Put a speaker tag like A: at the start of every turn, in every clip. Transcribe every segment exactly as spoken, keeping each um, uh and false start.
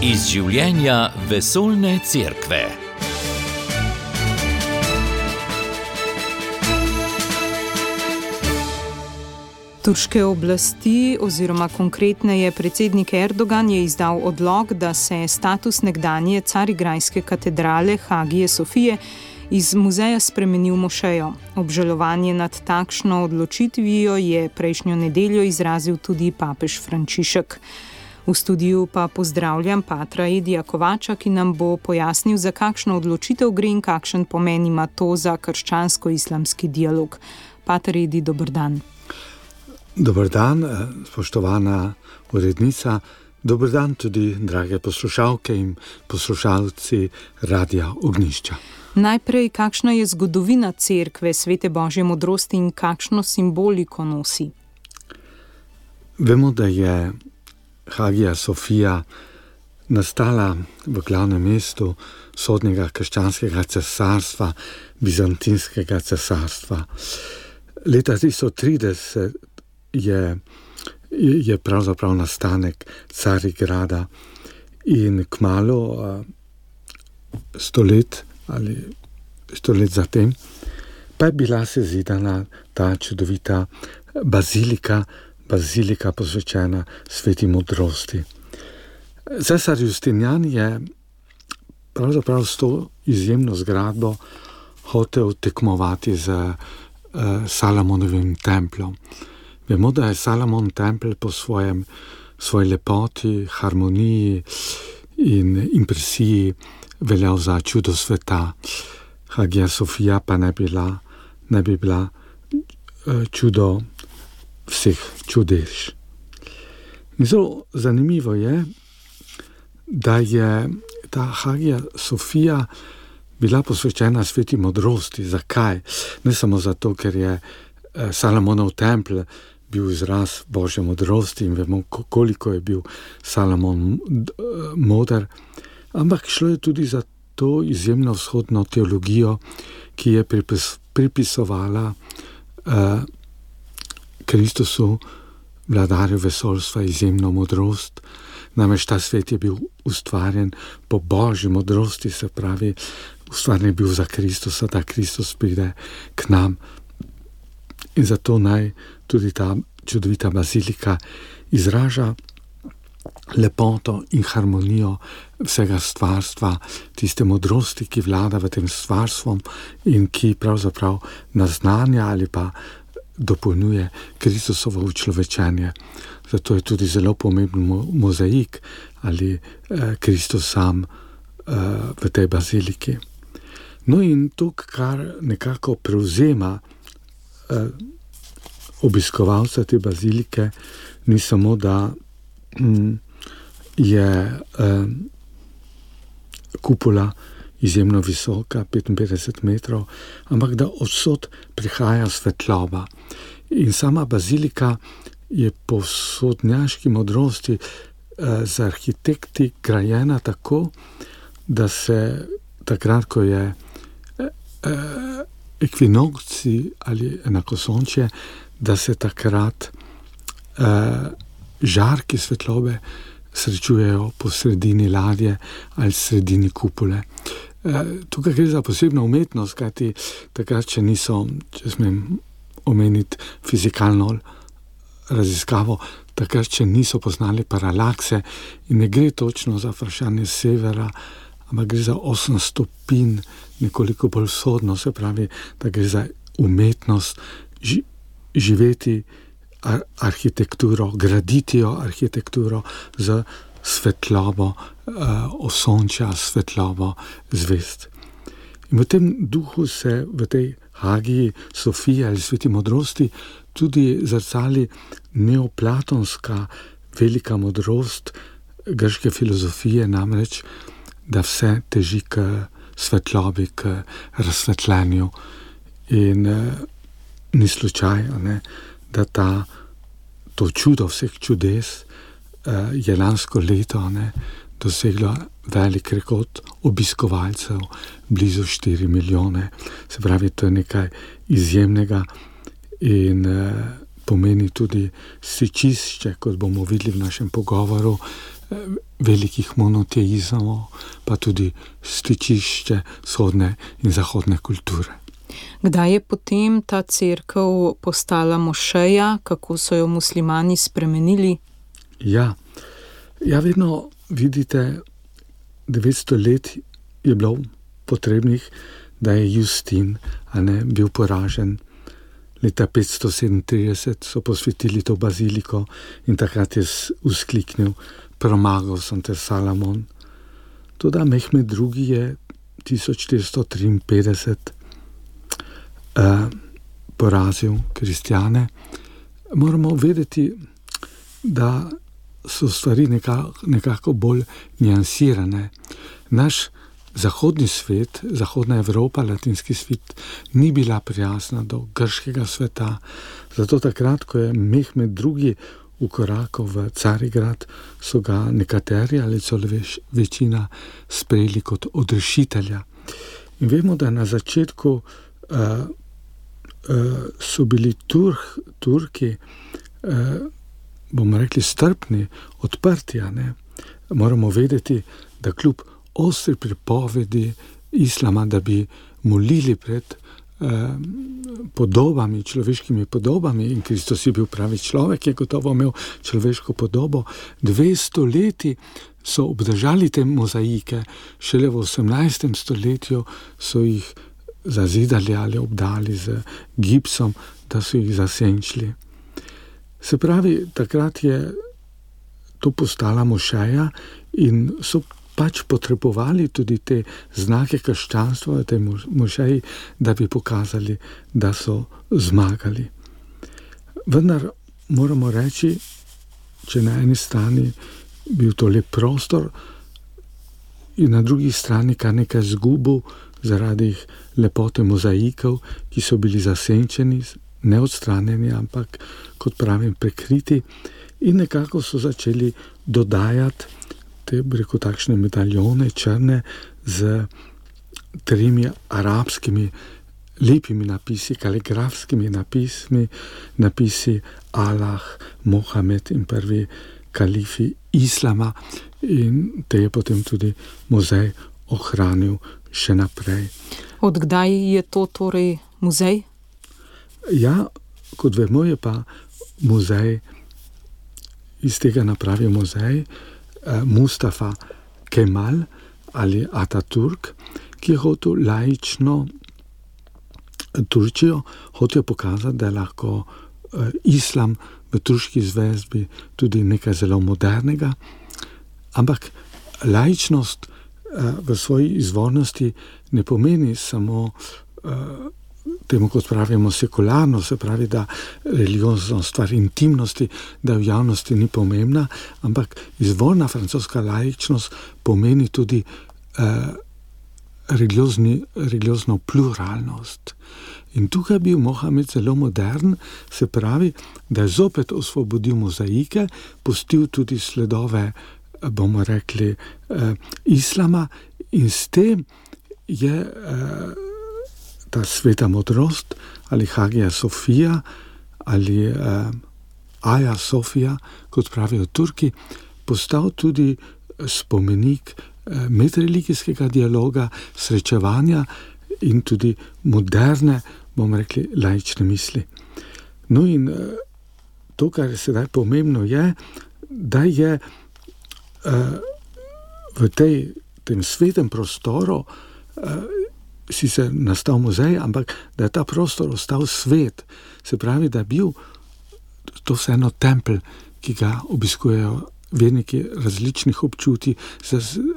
A: Iz življenja vesoljne cerkve.
B: Turške oblasti, oziroma konkretneje predsednik Erdogan, je izdal odlok, da se status nekdanje carigrajske katedrale Hagije Sofije iz muzeja spremeni v mošejo. Obžalovanje nad takšno odločitvijo je prejšnjo nedeljo izrazil tudi papež Frančišek. V studiu pa pozdravljam patra Edija Kovača, ki nam bo pojasnil, za kakšno odločitev gre in kakšen pomen ima to za krščansko-islamski dialog. Pater Edi, dober dan.
C: Dober dan, spoštovana urednica. Dober dan tudi, drage poslušalke in poslušalci Radia Ognjišča.
B: Najprej, kakšna je zgodovina cerkve Svete Božje modrosti in kakšno simboliko nosi?
C: Vemo, da je Hagija Sofija nastala v glavnem mestu vzhodnega krščanskega cesarstva, bizantinskega cesarstva. Leta tristo trideset je, je pravzaprav nastanek Carigrada in kmalu sto let ali sto let zatem pa je bila sezidana ta čudovita bazilika, bazilika posvečena Sveti modrosti. Cesar Justinian je pravzaprav s to izjemno zgradbo hotel tekmovati z uh, Salomonovim templom. Vemo, da je Salomon tempelj po svojem, svoji lepoti, harmoniji in impresiji veljal za čudo sveta. Hagija Sofija pa ne, bila, ne bi bila uh, čudo vseh čudež. In zelo zanimivo je, da je ta Hagija Sofija bila posvečena Sveti modrosti. Zakaj? Ne samo zato, ker je eh, Salomonov tempelj bil izraz Božje modrosti in vemo, koliko je bil Salomon moder, ampak šlo je tudi za to izjemno vzhodno teologijo, ki je pripis, pripisovala eh, Kristusu, vladarju vesoljstva, izjemno modrost. Namreč ta svet je bil ustvarjen po Božji modrosti, se pravi, ustvarjen je bil za Kristusa, da Kristus pride k nam. In zato naj tudi ta čudovita bazilika izraža lepoto in harmonijo vsega stvarstva, tiste modrosti, ki vlada v tem stvarstvom in ki pravzaprav naznanja ali pa dopolnjuje Kristusovo učlovečenje. Zato je tudi zelo pomemben mozaik ali eh, Kristus sam eh, v tej baziliki. No in to, kar nekako prevzema eh, obiskovalca te bazilike, ni samo, da hm, je eh, kupola izjemno visoka, petinpetdeset metrov, ampak da odsod prihaja svetloba. In sama bazilika je po vzhodnjaški modrosti eh, z arhitekti grajena tako, da se takrat, ko je eh, ekvinokci ali enakosončje, da se takrat eh, žarki svetlobe srečujejo po sredini ladje ali sredini kupole. Tukaj gre za posebno umetnost, kajti takrat, če niso, če smem omeniti fizikalno raziskavo, takrat, če niso poznali paralakse in ne gre točno za vprašanje severa, ampak gre za osem stopinj, nekoliko bolj vzhodno, se pravi, da gre za umetnost ži, živeti ar, arhitekturo, graditi jo arhitekturo z svetlobo uh, osončja, svetlobo zvezd. In v tem duhu se v tej Hagiji Sofije ali Sveti modrosti tudi zrcali neoplatonska velika modrost grške filozofije, namreč, da vse teži k svetlobi, k razsvetljenju. In uh, ni slučaj, ne, da ta, to čudo vseh čudes je lansko leto ne, doseglo velik rekord obiskovalcev, blizu štiri milijone. Se pravi, to je nekaj izjemnega in eh, pomeni tudi stičišče, kot bomo videli v našem pogovoru, velikih monoteizmov, pa tudi stičišče vzhodne in zahodne kulture.
B: Kdaj je potem ta cerkev postala mošeja, kako so jo muslimani spremenili?
C: Ja, ja vedno vidite, devetsto let je bilo potrebnih, da je Justin a ne, bil poražen. Leta petsto sedemintrideset so posvetili to baziliko in takrat je vzkliknil: premagal sem te, Salomon. Toda Mehmed drugi. je tisoč štiristo triinpetdeset uh, porazil kristjane. Moramo vedeti, da so stvari nekako, nekako bolj niansirane. Naš zahodni svet, zahodna Evropa, latinski svet, ni bila prijazna do grškega sveta. Zato takrat, ko je Mehmed drugi. Ukorakal v Carigrad, so ga nekateri ali celo večina sprejeli kot odrešitelja. In vemo, da na začetku uh, uh, so bili Turk, Turki, uh, bomo rekli, strpni, odprti. Ne? Moramo vedeti, da kljub ostri pripovedi islama, da bi molili pred podobami, človeškimi podobami, in Kristus je bil pravi človek, je gotovo imel človeško podobo. Dvesto leti so obdržali te mozaike, šele v osemnajstem stoletju so jih zazidali ali obdali z gipsom, da so jih zasenčili. Se pravi, takrat je to postala mošeja in so pač potrebovali tudi te znake krščanstva v tej mošeji, da bi pokazali, da so zmagali. Vendar moramo reči, če na eni strani bil to lep prostor in na drugi strani kar nekaj zgubil zaradi lepote mozaikov, ki so bili zasenčeni, neodstranjeni, ampak, kot pravim, prekriti, in nekako so začeli dodajati te, reko, takšne medaljone črne z tremi arabskimi lepimi napisi, kaligrafskimi napismi, napisi Allah, Mohamed in prvi kalifi islama, in te je potem tudi muzej ohranil še naprej.
B: Od kdaj je to torej muzej?
C: Ja, kot vemo, je pa muzej, iz tega napravil muzej Mustafa Kemal ali Ataturk, ki je hotel laično Turčijo, hotel pokazati, da je lahko islam v turški zvezdi tudi nekaj zelo modernega, ampak laičnost v svoji izvornosti ne pomeni samo temu, kot pravimo, sekularno, se pravi, da religiozno stvar intimnosti, da v javnosti ni pomembna, ampak izvorna francoska laičnost pomeni tudi eh, religiozni, religiozno pluralnost. In tukaj je bil Mohamed zelo modern, se pravi, da je zopet osvobodil mozaike, pustil tudi sledove, bomo rekli, eh, islama, in s tem je eh, ta sveta modrost ali Hagija Sofija ali eh, Aja Sofija, kot pravijo Turki, postal tudi spomenik eh, medreligijskega dialoga, srečevanja in tudi moderne, bomo rekli, laične misli. No in eh, to, kar je sedaj pomembno, je, da je eh, v tej, tem svetem prostoru eh, sicer nastal muzej, ampak da je ta prostor ostal svet. Se pravi, da je bil to vseeno tempelj, ki ga obiskujejo verniki različnih občutij,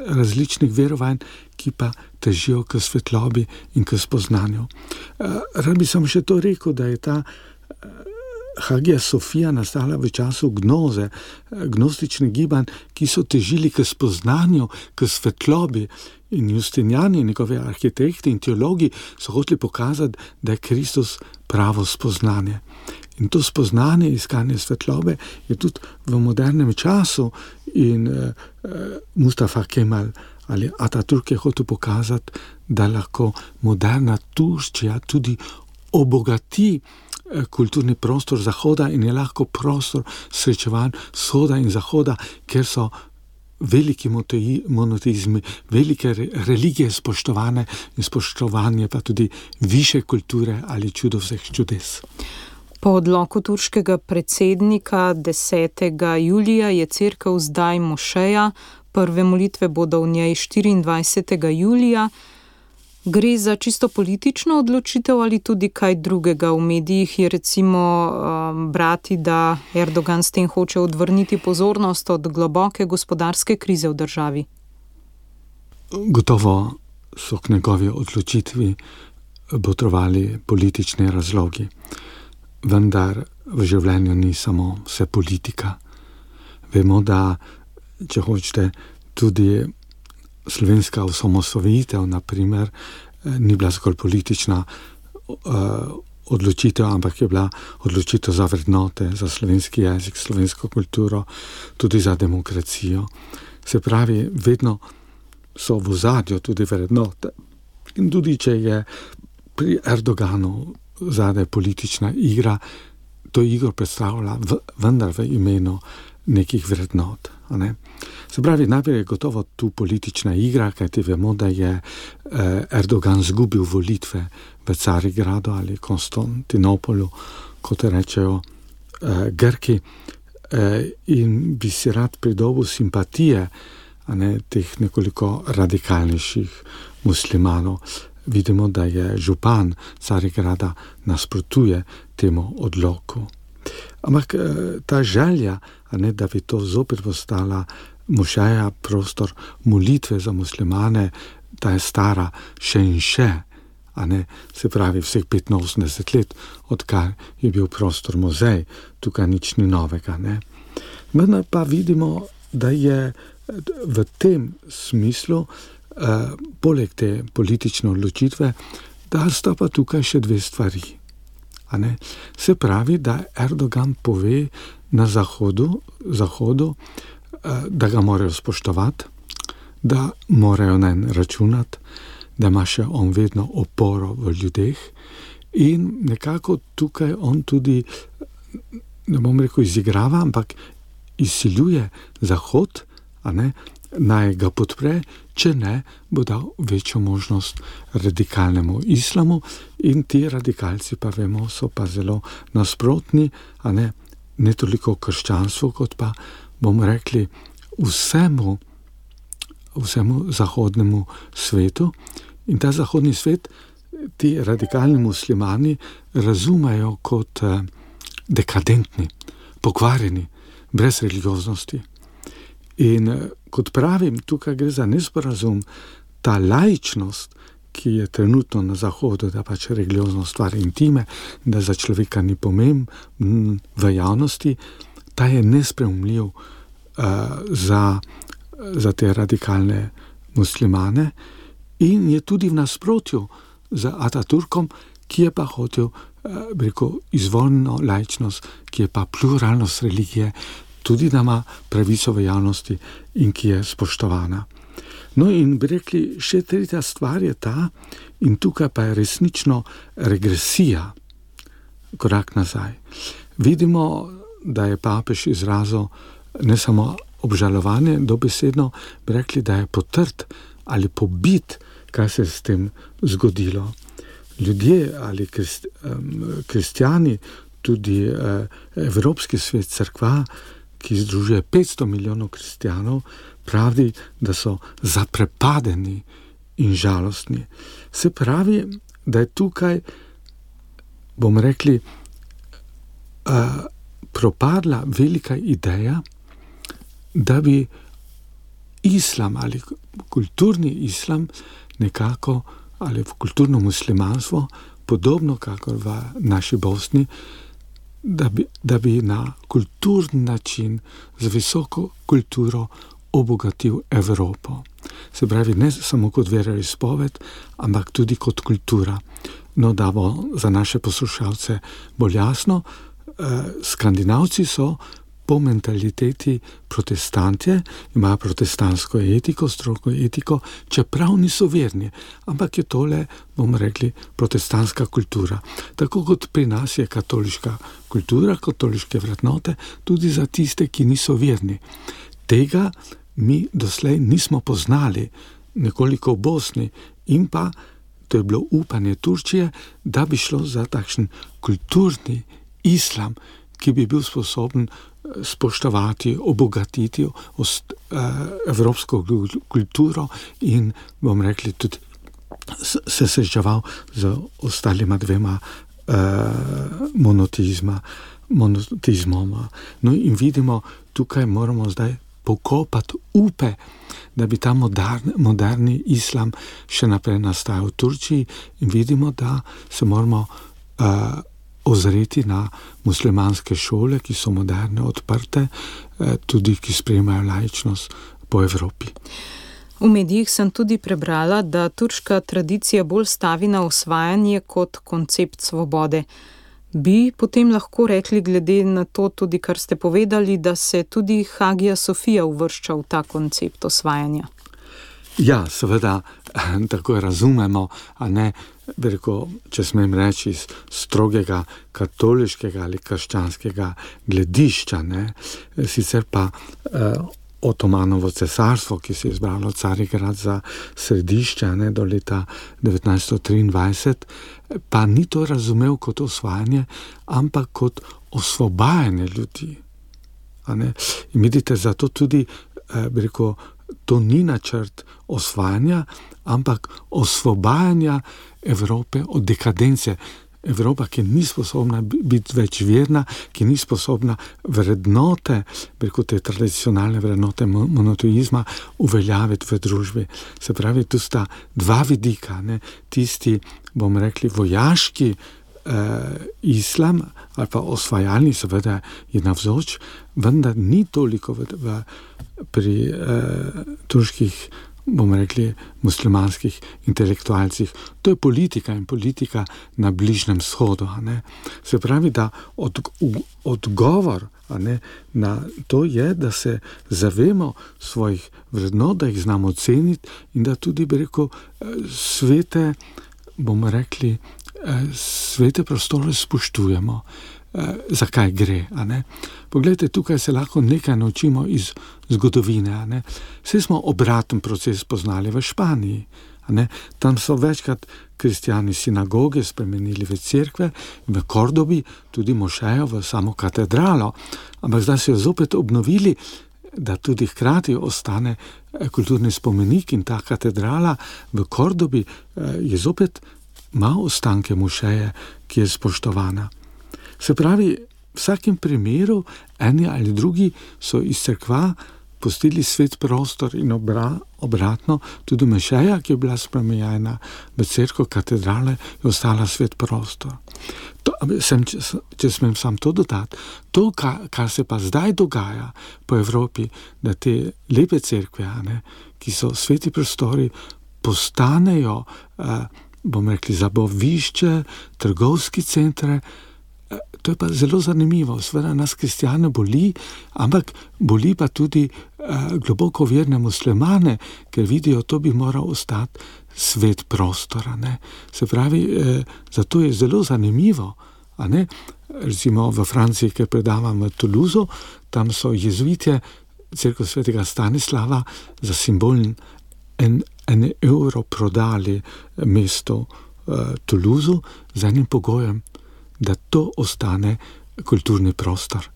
C: različnih verovanj, ki pa težijo k svetlobi in k spoznanju. Rad bi sem še to rekel, da je ta Hagija Sofija nastala v času gnoze, gnostične gibanj, ki so težili k spoznanju, k svetlobi, in Justinjani, njegove arhitekti in teologi so hoteli pokazati, da je Kristus pravo spoznanje. In to spoznanje, iskanje svetlobe je tudi v modernem času, in uh, Mustafa Kemal ali Ataturk je hotel pokazati, da lahko moderna Turčija tudi obogati kulturni prostor Zahoda in je lahko prostor srečevanj vzhoda in zahoda, ker so veliki monoteizmi, velike religije spoštovane in spoštovanje pa tudi više kulture ali čudo vseh čudes.
B: Po odloku turškega predsednika desetega julija je cerkev zdaj mošeja, prve molitve bodo v njej štiriindvajsetega julija. Gre za čisto politično odločitev ali tudi kaj drugega? V medijih je recimo um, brati, da Erdogan s tem hoče odvrniti pozornost od globoke gospodarske krize v državi.
C: Gotovo so k njegovi odločitvi botrovali politični razlogi, vendar v življenju ni samo vse politika. Vemo, da če hočete tudi slovenska osamosvojitev, na primer, ni bila zgolj politična uh, odločitev, ampak je bila odločitev za vrednote, za slovenski jezik, slovensko kulturo, tudi za demokracijo. Se pravi, vedno so v ozadju tudi vrednote. In tudi, če je pri Erdoganu zadaj politična igra, to igro predstavlja v, vendar v imenu nekih vrednot. Ne? Se pravi, najprej je gotovo tu politična igra, kajti vemo, da je eh, Erdogan zgubil volitve v Carigradu ali Konstantinopolu, kot rečejo eh, Grki, eh, in bi si rad pridobil simpatije, a ne, teh nekoliko radikalnejših muslimanov. Vidimo, da je župan Carigrada nasprotuje temu odloku. Ampak ta želja, a ne, da bi to zopet postala mošeja, prostor molitve za muslimane, ta je stara še in še, a ne, se pravi vseh petinosemdeset let, odkar je bil prostor muzej, tukaj nič ni novega. Ne. Vendar pa vidimo, da je v tem smislu, eh, poleg te politične odločitve, da sta pa tukaj še dve stvari. A ne? Se pravi, da Erdogan pove na Zahodu, Zahodu, da ga morajo spoštovati, da morajo nanj računati, da ima še on vedno oporo v ljudeh in nekako tukaj on tudi, ne bom rekel izigrava, ampak izsiljuje Zahod, a ne, naj ga podpre, če ne, bo dal večjo možnost radikalnemu islamu in ti radikalci pa vemo, so pa zelo nasprotni, a ne, ne toliko krščanstvu, kot pa, bomo rekli, vsemu, vsemu zahodnemu svetu. In ta zahodni svet ti radikalni muslimani razumejo kot eh, dekadentni, pokvarjeni, brez religioznosti. In kot pravim, tukaj gre za nesporazum, ta laičnost, ki je trenutno na Zahodu, da pač religiozno stvar intime, da za človeka ni pomemben v javnosti, ta je nesprejemljiv uh, za, za te radikalne muslimane in je tudi v nasprotju z Ataturkom, ki je pa hotel uh, rekel, izvoljno laičnost, ki je pa pluralnost religije, tudi da ima pravico v javnosti in ki je spoštovana. No in bi rekli, še tretja stvar je ta, in tukaj pa je resnično regresija, korak nazaj. Vidimo, da je papež izrazil ne samo obžalovanje, dobesedno bi rekli, da je potrt ali pobit, kaj se je s tem zgodilo. Ljudje ali krist, um, kristjani, tudi uh, Evropski svet, cerkva, ki združuje petsto milijonov kristjanov, pravi, da so zaprepadeni in žalostni. Se pravi, da je tukaj, bomo rekli, uh, propadla velika ideja, da bi islam ali kulturni islam nekako, ali kulturno muslimanstvo, podobno kakor v naši Bosni, Da bi, da bi na kulturni način z visoko kulturo obogatil Evropo. Se pravi, ne samo kot veroizpoved, ampak tudi kot kultura. No, da bo za naše poslušalce bolj jasno, eh, Skandinavci so po mentaliteti protestantje, imajo protestantsko etiko, stroko etiko, čeprav niso verni, ampak je tole, bomo rekli, protestantska kultura. Tako kot pri nas je katoliška kultura, katoliške vrednote, tudi za tiste, ki niso verni. Tega mi doslej nismo poznali, nekoliko v Bosni, in pa to je bilo upanje Turčije, da bi šlo za takšen kulturni islam, ki bi bil sposoben spoštovati, obogatiti ost, eh, evropsko kulturo in, bom rekli, tudi se srečeval z ostalima dvema eh, monoteizma, monoteizmoma. No in vidimo, tukaj moramo zdaj pokopati upe, da bi ta moderni, moderni islam še naprej nastajal v Turčiji, in vidimo, da se moramo uh, ozreti na muslimanske šole, ki so moderne, odprte, uh, tudi ki sprejemajo laičnost po Evropi.
B: V medijih sem tudi prebrala, da turška tradicija bolj stavi na osvajanje kot koncept svobode. Bi potem lahko rekli, glede na to tudi, kar ste povedali, da se tudi Hagija Sofija uvršča v ta koncept osvajanja?
C: Ja, seveda, tako razumemo, a ne, veliko, če smem reči, iz strogega katoliškega ali krščanskega gledišča, ne, sicer pa eh, Otomanovo cesarstvo, ki se je izbralo Carigrad za središče, ne, do leta devetnajststo triindvajset, pa ni to razumel kot osvajanje, ampak kot osvobajanje ljudi. A ne? In vidite, zato tudi, eh, bi rekel, to ni načrt osvajanja, ampak osvobajanja Evrope od dekadence. Evropa, ki ni sposobna biti več verna, ki ni sposobna vrednote, preko te tradicionalne vrednote monoteizma uveljaviti v družbi. Se pravi, tu sta dva vidika, ne? Tisti, bomo rekli, vojaški eh, islam ali pa osvajalni, seveda je navzoč, vendar ni toliko v, v, pri eh, turških, bomo rekli, muslimanskih intelektualcih. To je politika in politika na Bližnjem vzhodu. A ne? Se pravi, da od, odgovor a ne, na to je, da se zavemo svojih vrednot, da jih znamo ceniti in da tudi, bi rekel, svete, bomo rekli, svete prostore spoštujemo. Zakaj gre, a ne? Poglejte, tukaj se lahko nekaj naučimo iz zgodovine, a ne? Vse smo obraten proces poznali v Španiji, a ne? Tam so večkrat kristjani sinagoge spremenili v cerkve, v Kordobi tudi mošejo v samo katedralo, ampak zdaj so jo zopet obnovili, da tudi hkrati ostane kulturni spomenik, in ta katedrala v Kordobi je zopet ima ostanke mošeje, ki je spoštovana. Se pravi, v vsakem primeru, eni ali drugi so iz cerkva pustili svet prostor in obra, obratno, tudi mošeja, ki je bila spremenjena v cerkev, katedrale, je ostala svet prostor. To, sem, če, če smem sam to dodati, to, kar, kar se pa zdaj dogaja po Evropi, da te lepe cerkve, ne, ki so sveti prostori, postanejo, eh, bomo rekli, zabavišče, trgovski centre. To je pa zelo zanimivo. Seveda nas kristjane boli, ampak boli pa tudi eh, globoko verne muslimane, ker vidijo, to bi moral ostati svet prostora. Ne? Se pravi, eh, zato je zelo zanimivo. A ne? Recimo v Franciji, ker predavam v Toulouse, tam so jezuitje cerkev svetega Stanislava za simbol en, en evro prodali mesto eh, Toulouse z enim pogojem, da to ostane kulturni prostor.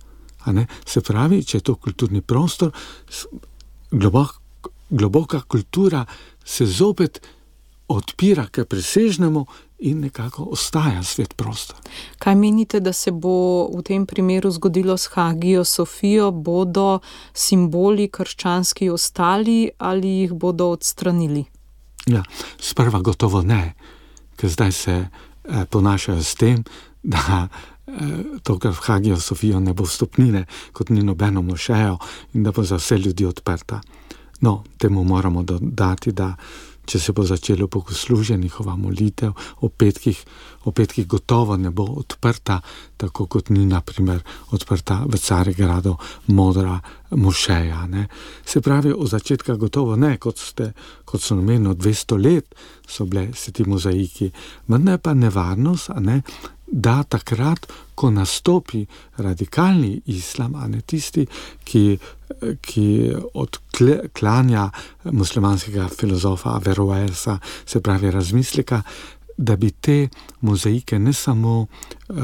C: A ne? Se pravi, če je to kulturni prostor, globok, globoka kultura se zopet odpira k presežnemu in nekako ostaja svet prostor.
B: Kaj menite, da se bo v tem primeru zgodilo s Hagijo Sofijo? Bodo simboli krščanski ostali ali jih bodo odstranili?
C: Ja, sprva gotovo ne, ker zdaj se eh, ponašajo s tem, da eh, to, kar v Hagijo Sofijo ne bo vstopnine, kot ni nobeno mošejo, in da bo za vse ljudi odprta. No, temu moramo dodati, da če se bo začelo bogoslužje, njihova molitev o petkih, o petkih gotovo ne bo odprta, tako kot ni, na primer, odprta v Carigradu modra mošeja. Ne? Se pravi, od začetka gotovo ne, kot, ste, kot so namenili dvesto let, so bile se ti mozaiki. Vendar je pa nevarnost, a ne, da takrat, ko nastopi radikalni islam, a ne tisti, ki, ki odklanja muslimanskega filozofa Averroesa, se pravi razmisleka, da bi te mozaike ne samo, uh,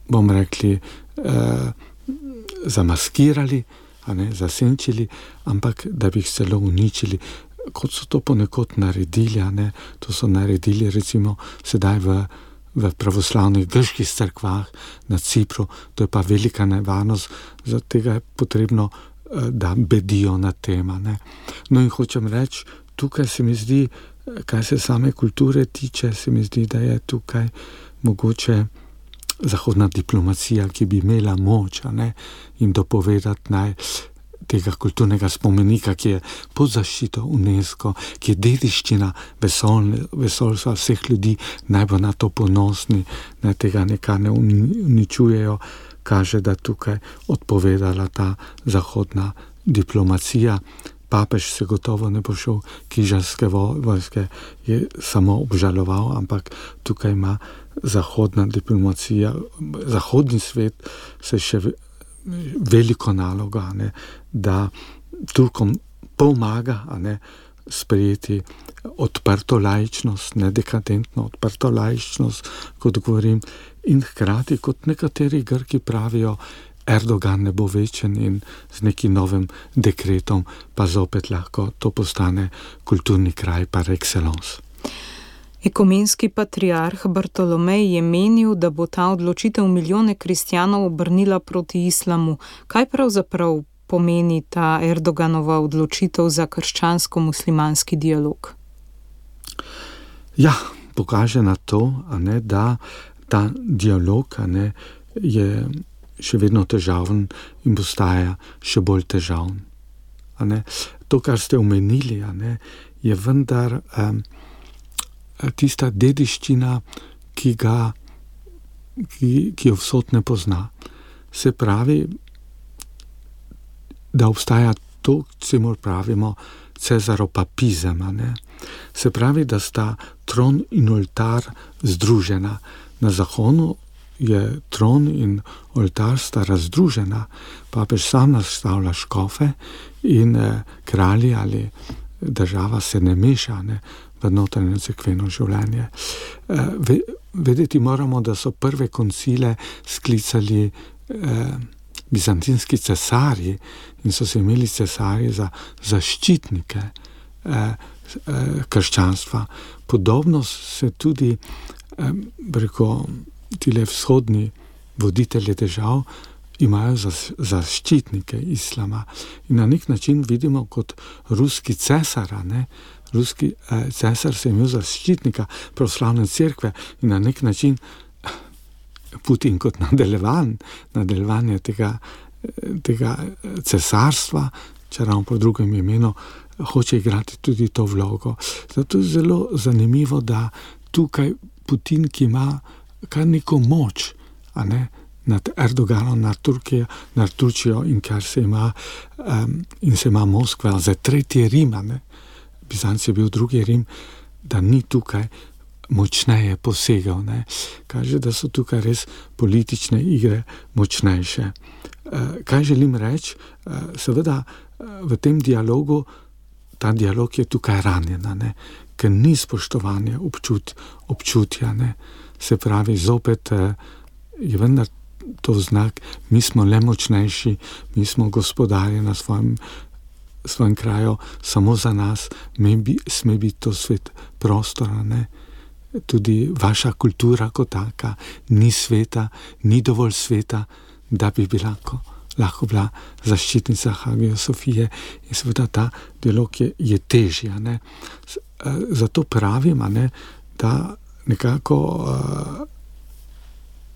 C: bomo rekli, uh, zamaskirali, a ne, zasenčili, ampak da bi jih celo uničili, kot so to ponekod naredili, a ne, to so naredili recimo sedaj v v pravoslavnih grških cerkvah na Cipru, to je pa velika nevarnost, zato tega je potrebno, da bedijo na tema. Ne. No in hočem reči, tukaj se mi zdi, kaj se same kulture tiče, se mi zdi, da je tukaj mogoče zahodna diplomacija, ki bi imela moč, a ne, in dopovedati naj tega kulturnega spomenika, ki je pod zaščito UNESCO, ki je dediščina vesolne, vesolstva vseh ljudi, naj bo na to ponosni, naj tega nekaj ne uničujejo, kaže, da tukaj odpovedala ta zahodna diplomacija. Papež se gotovo ne bo šel križarske vojske, je samo obžaloval, ampak tukaj ima zahodna diplomacija, zahodni svet se še veliko naloga, ne, da Turkom pomaga, a ne, sprejeti odprto laičnost, ne dekadentno odprto laičnost, kot govorim, in hkrati, kot nekateri Grki pravijo, Erdogan ne bo večen in z nekim novim dekretom pa zopet lahko to postane kulturni kraj par excellence.
B: Ekumenski patriarh Bartolomej je menil, da bo ta odločitev milijone kristjanov obrnila proti islamu. Kaj pravzaprav pomeni ta Erdoganova odločitev za krščansko-muslimanski dialog?
C: Ja, pokaže na to, a ne, da ta dialog, a ne, je še vedno težaven in postaja še bolj težaven. A ne. To, kar ste omenili, a ne, je vendar um, tista dediščina, ki ga, ki, ki jo vsot ne pozna. Se pravi, da obstaja to, čemur pravimo cesaropapizem, a ne. Se pravi, da sta tron in oltar združena. Na Zahodu je tron in oltar sta razdružena. Papež sam nastavlja škofe in eh, kralji ali država se ne meša, ne, v notranje cerkveno življenje. Eh, vedeti moramo, da so prve koncile sklicali eh, bizantinski cesarji in so se imeli cesarji za zaščitnike eh, eh, krščanstva. Podobno se tudi eh, preko tile vzhodni voditelji držav imajo za, zaščitnike islama. In na nek način vidimo kot ruski cesar, ne? Ruski eh, cesar se je imel zaščitnika pravoslavne cerkve in na nek način Putin kot nadaljevan, nadaljevanje tega, tega cesarstva, če ravno po drugem imenu, hoče igrati tudi to vlogo. Zato je zelo zanimivo, da tukaj Putin, ki ima kar neko moč, a ne, nad Erdoganom, nad Turkijo, nad Turčijo in kar se ima, um, in se ima Moskva za tretji Rim, a ne, Bizanc je bil drugi Rim, da ni tukaj močneje posegal, ne. Kaže, da so tukaj res politične igre močnejše. Uh, kaj želim reči? Uh, seveda uh, v tem dialogu, ta dialog je tukaj ranjena, ne, ker ni spoštovanja občut, občutja, ne. Se pravi, zopet uh, je vendar to znak, mi smo le močnejši, mi smo gospodarji na svojem svojem kraju, samo za nas, me bi, sme biti to svet prostora, ne. Tudi vaša kultura kot taka ni sveta, ni dovolj sveta, da bi bila lahko, lahko bila zaščitnica Hagije Sofije in seveda ta dialog je, je težja, ne. Zato pravim, ne, da nekako uh,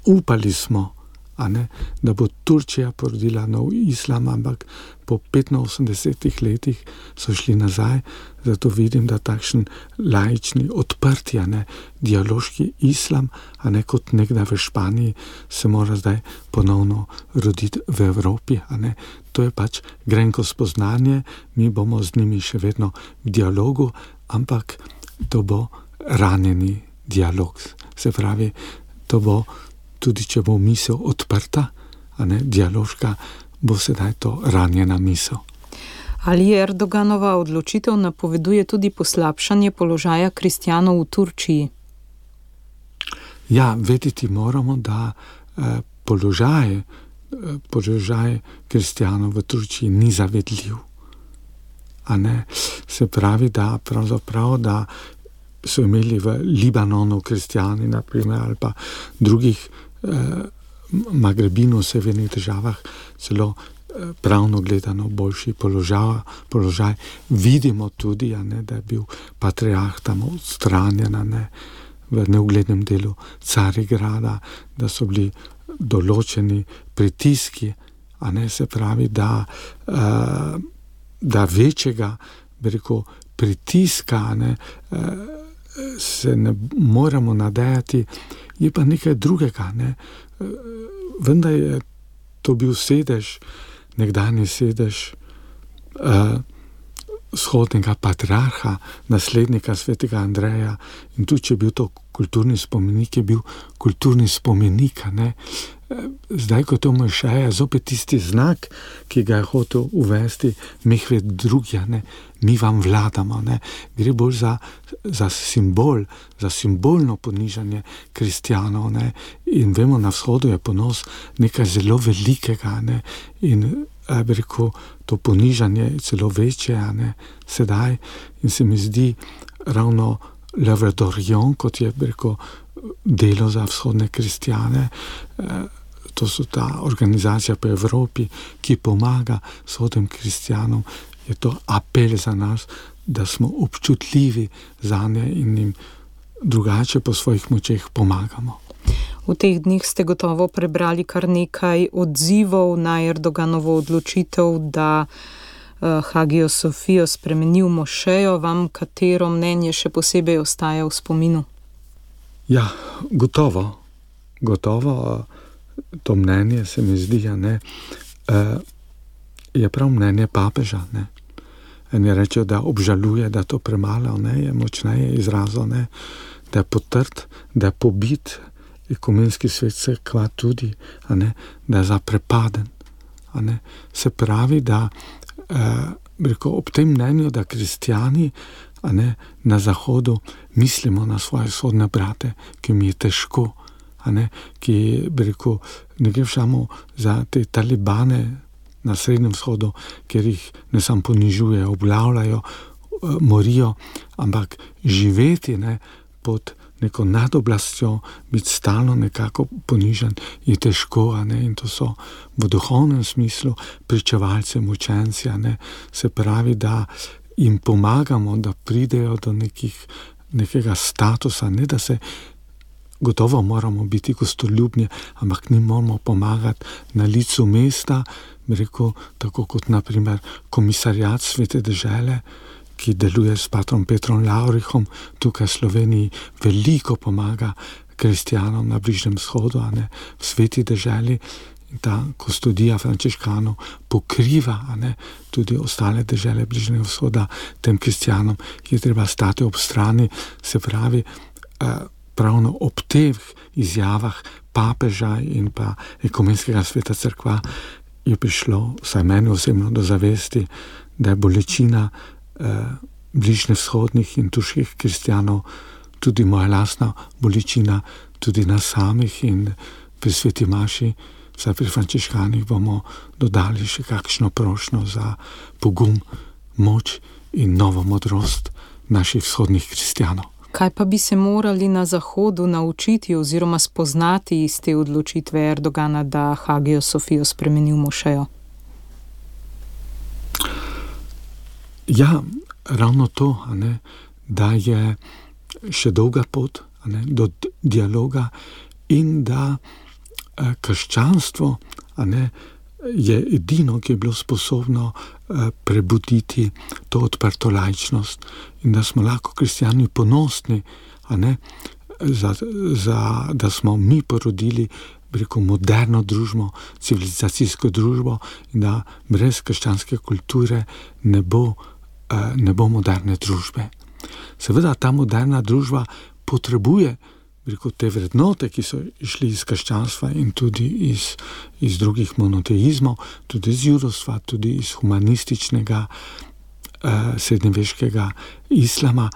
C: upali smo, a ne, da bo Turčija porodila nov islam, ampak po petinosemdesetih letih so šli nazaj, zato vidim, da takšen laični, odprti, a ne, dialoški islam, a ne kot nekdaj v Španiji, se mora zdaj ponovno roditi v Evropi, a ne. To je pač grenko spoznanje, mi bomo z njimi še vedno v dialogu, ampak to bo ranjeni dialog. Se pravi, to bo, tudi če bo misel odprta, a ne, dialoška, bo sedaj to ranjena misel.
B: Ali Erdoganova odločitev napoveduje tudi poslabšanje položaja kristjanov v Turčiji?
C: Ja, vedeti moramo, da eh, položaj, eh, položaj kristjanov v Turčiji ni zavedljiv. A ne, se pravi, da pravzaprav, da so imeli v Libanonu kristjani, naprimer, ali pa drugih eh, Magrebinu, severnih državah, celo eh, pravno gledano boljši položaj, položaj. Vidimo tudi, a ne, da je bil patriarh tam odstranjen, a ne, v neuglednem delu Carigrada, da so bili določeni pritiski, a ne, se pravi, da, uh, da večjega, bi rekel, pritiska, ne, uh, se ne moramo nadejati, je pa nekaj drugega, ne. Uh, vendar je to bil sedež, nekdanji sedež uh, vzhodnega patriarha, naslednika svetega Andreja, in tudi, če je bil to kulturni spomenik, je bil kulturni spomenik, ne. Zdaj, ko to Mojšeja, zopet tisti znak, ki ga je hotel uvesti Mehmed drugi, ne, mi vam vladamo, ne. Gre bolj za, za simbol, za simbolno ponižanje kristjanov, ne. In vemo, na vzhodu je ponos nekaj zelo velikega, ne. In bi rekel, to ponižanje je celo večje, ne, sedaj, in se mi zdi ravno L'Œuvre d'Orient, kot je, bi rekel, delo za vzhodne kristjane, to so ta organizacija po Evropi, ki pomaga vzhodnim kristjanom, je to apel za nas, da smo občutljivi za nje in jim drugače po svojih močeh pomagamo.
B: V teh dneh ste gotovo prebrali kar nekaj odzivov na Erdoganovo odločitev, da uh, Hagijo Sofijo spremeni v mošejo. Vam katero mnenje še posebej ostaja v spominu?
C: Ja, gotovo. Gotovo to mnenje se mi zdi, ne, uh, je prav mnenje papeža, ne. En je rečel, da obžaluje, da to premalo, ne, je močneje izrazil, ne, da je potrt, da je pobit, ekumenski svet se kva tudi, a ne, da je zaprepaden. A ne. Se pravi, da eh, rekel, ob tem mnenju, da kristjani, a ne, na Zahodu mislimo na svoje sodne brate, ki mi je težko, a ne, ki, bi rekel, ne gre samo za te talibane na Srednjem vzhodu, ker jih ne samo ponižujejo, obglavljajo, morijo, ampak živeti, ne, pod neko nadoblastjo, biti stalno nekako ponižen, je težko, a ne, in to so v duhovnem smislu pričevalci, mučenci, a ne, se pravi, da jim pomagamo, da pridejo do nekih, nekega statusa, ne, da se gotovo moramo biti gostoljubni, ampak njim moramo pomagati na licu mesta, bi rekel, tako kot naprimer komisarjat Svete dežele, ki deluje s patrom Petrom Lavrihom, tukaj v Sloveniji veliko pomaga kristjanom na Bližnjem vzhodu, a ne, v Sveti deželi, in ta kustodija frančiškanov pokriva, a ne, tudi ostale dežele Bližnjega vzhoda, tem kristjanom je treba stati ob strani, se pravi, pravno ob teh izjavah papeža in pa ekumenskega sveta cerkva je prišlo, vsaj meni osebno, do zavesti, da je bolečina bližnjevzhodnih in turških kristjanov, tudi moja lastna bolečina, tudi nas samih, in pri sveti maši, vsaj pri frančiškanih, bomo dodali še kakšno prošnjo za pogum, moč in novo modrost naših vzhodnih kristjanov.
B: Kaj pa bi se morali na Zahodu naučiti oziroma spoznati iz te odločitve Erdogana, da Hagijo Sofijo spremeni v mošejo?
C: Ja, ravno to, a ne, da je še dolga pot, a ne, do dialoga in da eh, krščanstvo, a ne, je edino, ki je bilo sposobno eh, prebuditi to odprto laičnost in da smo lahko kristjani ponosni, a ne, za, za, da smo mi porodili, bi rekel, moderno družbo, civilizacijsko družbo in da brez krščanske kulture ne bo ne bo moderne družbe. Seveda ta moderna družba potrebuje, rekel, te vrednote, ki so išli iz krščanstva in tudi iz, iz drugih monoteizmov, tudi iz judovstva, tudi iz humanističnega eh, srednjeveškega islama,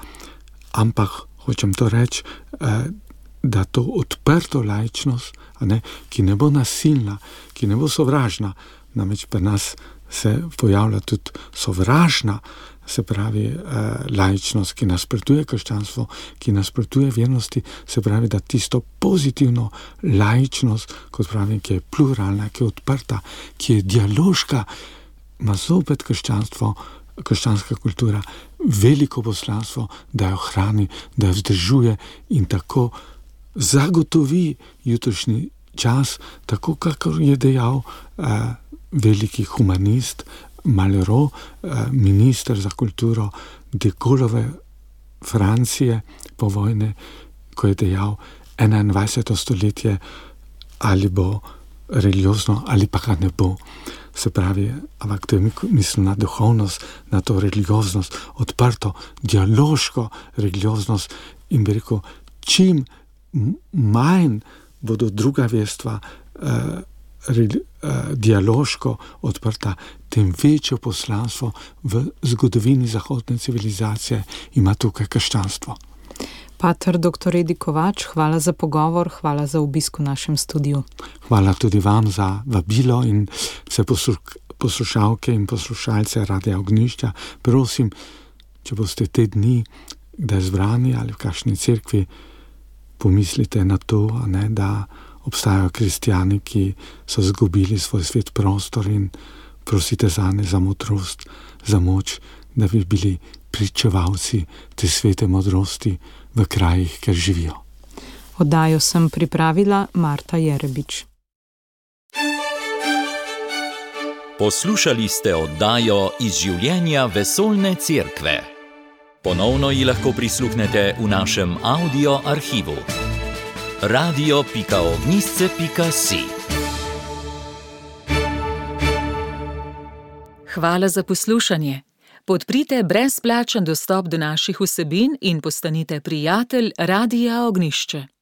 C: ampak hočem to reči, eh, da to odprto laičnost, a ne, ki ne bo nasilna, ki ne bo sovražna, namreč pri nas se pojavlja tudi sovražna, se pravi eh, laičnost, ki nasprotuje krščanstvo, ki nasprotuje vernosti, se pravi, da tisto pozitivno laičnost, kot pravim, ki je pluralna, ki je odprta, ki je dialoška, ima zopet krščanstvo, krščanska kultura, veliko poslanstvo, da jo hrani, da jo vzdržuje in tako zagotovi jutrišnji čas, tako kakor je dejal eh, veliki humanist Malraux, eh, minister za kulturo de Gaulleove Francije po vojne, ko je dejal, enaindvajseto stoletje ali bo religiozno ali pa ga ne bo. Se pravi, ampak to je mislim na duhovnost, na to religioznost, odprto, dialoško religioznost in bi rekel, čim manj bodo druga verstva eh, dialoško odprta, tem večjo poslanstvo v zgodovini zahodne civilizacije ima tukaj krščanstvo.
B: Pater doktor Edi Kovač, hvala za pogovor, hvala za obisk v našem studiu.
C: Hvala tudi vam za vabilo in vse poslušalke in poslušalce Radia Ognjišča. Prosim, če boste te dni kdaj zbrani ali v kakšni cerkvi, pomislite na to, ne, da obstajajo kristjani, ki so zgubili svoj svet prostor in prosite zanje za modrost, za moč, da bi bili pričevalci te svete modrosti v krajih, kjer živijo.
B: Oddajo sem pripravila Marta Jerebič.
A: Poslušali ste oddajo Iz življenja vesoljne cerkve. Ponovno ji lahko prisluhnete v našem audio arhivu. radio pika ognjišče pika si.
D: Hvala za poslušanje. Podprite brezplačen dostop do naših vsebin in postanite prijatelj Radia Ognjišče.